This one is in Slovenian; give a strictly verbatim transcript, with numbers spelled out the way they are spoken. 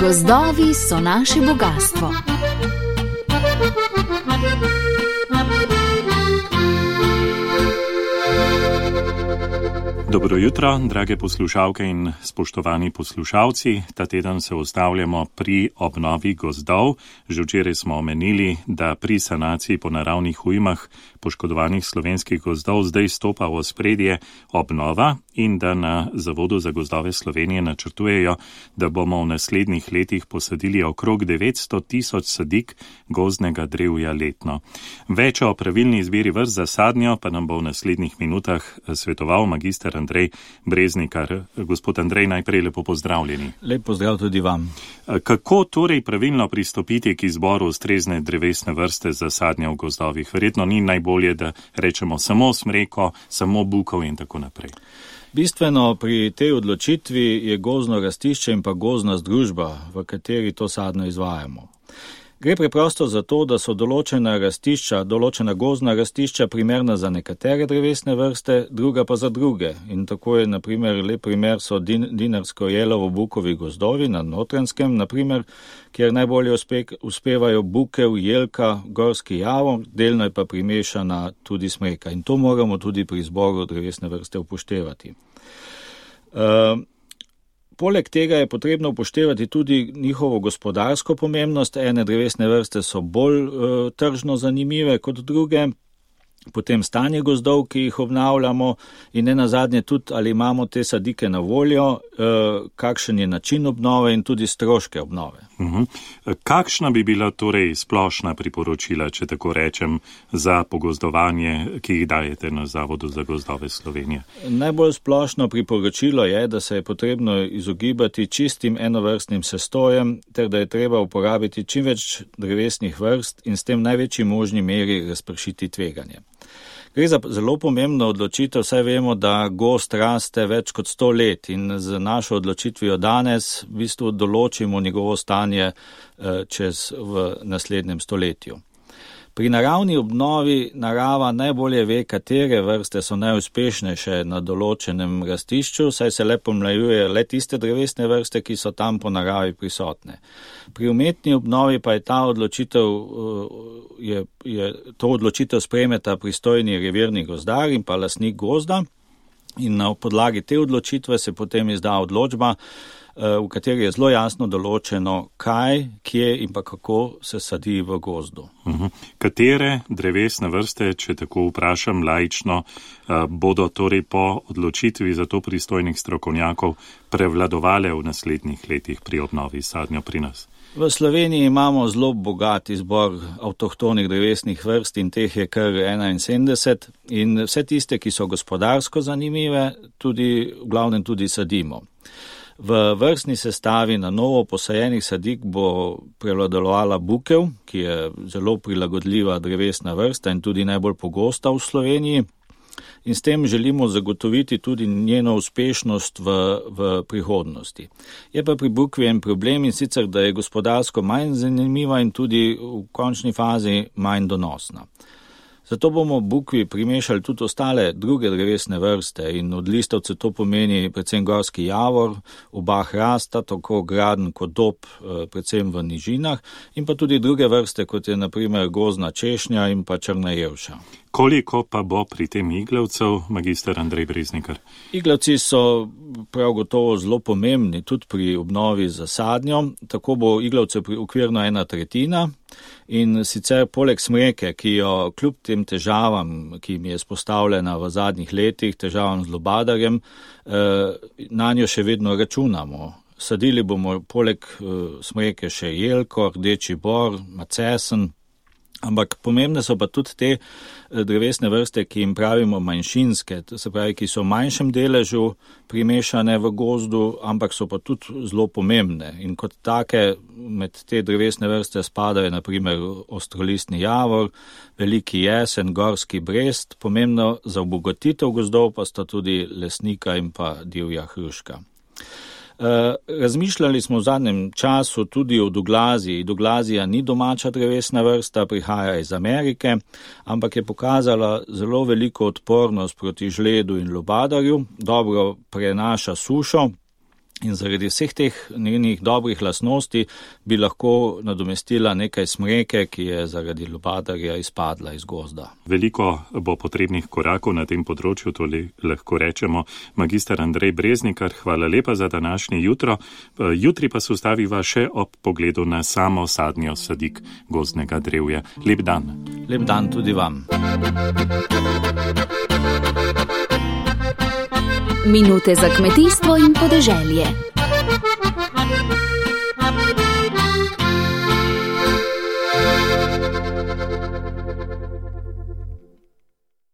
Gozdovi so naše bogastvo. Dobro jutro, drage poslušalke in spoštovani poslušalci. Ta teden se ustavljamo pri obnovi gozdov. Že včeraj smo omenili, da pri sanaciji po naravnih ujmah poškodovanih slovenskih gozdov zdaj stopa v ospredje obnova in da na Zavodu za gozdove Slovenije načrtujejo, da bomo v naslednjih letih posadili okrog devetsto tisoč sadik gozdnega drevja letno. Več o pravilni izbiri vrst za sadnjo pa nam bo v naslednjih minutah svetoval magister Andrej Breznikar. Gospod Andrej, najprej lepo pozdravljeni. Lep pozdrav tudi vam. Kako torej pravilno pristopiti k izboru ustrezne drevesne vrste za sadnjo v gozdovih? Verjetno ni najbolje, da rečemo samo smreko, samo bukov in tako naprej. Bistveno pri tej odločitvi je gozdno rastišče in pa gozdna združba, v kateri to sadno izvajamo. Gre preprosto za to, da so določena rastišča, določena gozdna rastišča primerna za nekatere drevesne vrste, druga pa za druge. In tako je, na primer, lep primer so din, dinarsko-jelovo-bukovi gozdovi na Notranjskem, na primer, kjer najbolje uspe, uspevajo bukev, jelka, gorski javor, delno je pa primešana tudi smreka. In to moramo tudi pri izboru drevesne vrste upoštevati. Uh, Poleg tega je potrebno upoštevati tudi njihovo gospodarsko pomembnost. Ene drevesne vrste so bolj uh, tržno zanimive kot druge, potem stanje gozdov, ki jih obnavljamo in ne nazadnje tudi, ali imamo te sadike na voljo, uh, kakšen je način obnove in tudi stroške obnove. Uh-huh. Kakšna bi bila torej splošna priporočila, če tako rečem, za pogozdovanje, ki jih dajete na Zavodu za gozdove Slovenije? Najbolj splošno priporočilo je, da se je potrebno izogibati čistim enovrstnim sestojem, ter da je treba uporabiti čim več drevesnih vrst in s tem največji možni meri razpršiti tveganje. Gre za zelo pomembno odločitev, saj vemo, da gozd raste več kot sto let in z našo odločitvijo danes v bistvu določimo njegovo stanje čez v naslednjem stoletju. Pri naravni obnovi narava najbolje ve, katere vrste so najuspešnejše na določenem rastišču, saj se le pomlajuje le tiste drevesne vrste, ki so tam po naravi prisotne. Pri umetni obnovi pa je ta odločitev, je, je to odločitev sprejmeta pristojni revirni gozdar in pa lastnik gozda in na podlagi te odločitve se potem izda odločba, v kateri je zelo jasno določeno, kaj, kje in pa kako se sadi v gozdu. Uh-huh. Katere drevesne vrste, če tako vprašam laično, bodo torej po odločitvi za to pristojnih strokovnjakov prevladovale v naslednjih letih pri obnovi sadnjo pri nas? V Sloveniji imamo zelo bogat izbor avtohtonih drevesnih vrst in teh je kar enainsedemdeset in vse tiste, ki so gospodarsko zanimive, tudi, v glavnem tudi sadimo. V vrstni sestavi na novo posajenih sadik bo prevladovala bukev, ki je zelo prilagodljiva drevesna vrsta in tudi najbolj pogosta v Sloveniji. In s tem želimo zagotoviti tudi njeno uspešnost v, v prihodnosti. Je pa pri bukvi en problem in sicer, da je gospodarsko manj zanimiva in tudi v končni fazi manj donosna. Zato bomo bukvi primešali tudi ostale druge drevesne vrste in od listavce to pomeni predvsem gorski javor, oba hrasta, tako graden kot dob, predvsem v nižinah in pa tudi druge vrste, kot je na primer gozdna češnja in pa črna jelša. Koliko pa bo pri tem iglavcev, magister Andrej Breznikar? Iglavci so prav gotovo zelo pomembni tudi pri obnovi za sadnjo, tako bo iglavcev okvirno ena tretjina in sicer poleg smreke, ki jo kljub tem težavam, ki mi je izpostavljena v zadnjih letih, težavam z lubadarjem, na njo še vedno računamo. Sadili bomo poleg smreke še jelko, rdeči bor, macesen, ampak pomembne so pa tudi te drevesne vrste, ki jim pravimo manjšinske, to se pravi, ki so v manjšem deležu primešane v gozdu, ampak so pa tudi zelo pomembne. In kot take med te drevesne vrste spadajo na primer ostrolistni javor, veliki jesen, gorski brest, pomembno za obogatitev gozdov pa sta tudi lesnika in pa divja hruška. Razmišljali smo v zadnjem času tudi o Douglaziji. Douglazija ni domača drevesna vrsta, prihaja iz Amerike, ampak je pokazala zelo veliko odpornost proti žledu in lubadarju, dobro prenaša sušo. In zaradi vseh teh njenih dobrih lastnosti bi lahko nadomestila nekaj smreke, ki je zaradi lubadarja izpadla iz gozda. Veliko bo potrebnih korakov na tem področju, to lahko rečemo. Magister Andrej Breznikar, hvala lepa za današnje jutro. Jutri pa se ustaviva še ob pogledu na samo sadnjo sadik gozdnega drevja. Lep dan. Lep dan tudi vam. Minute za kmetijstvo in podeželje.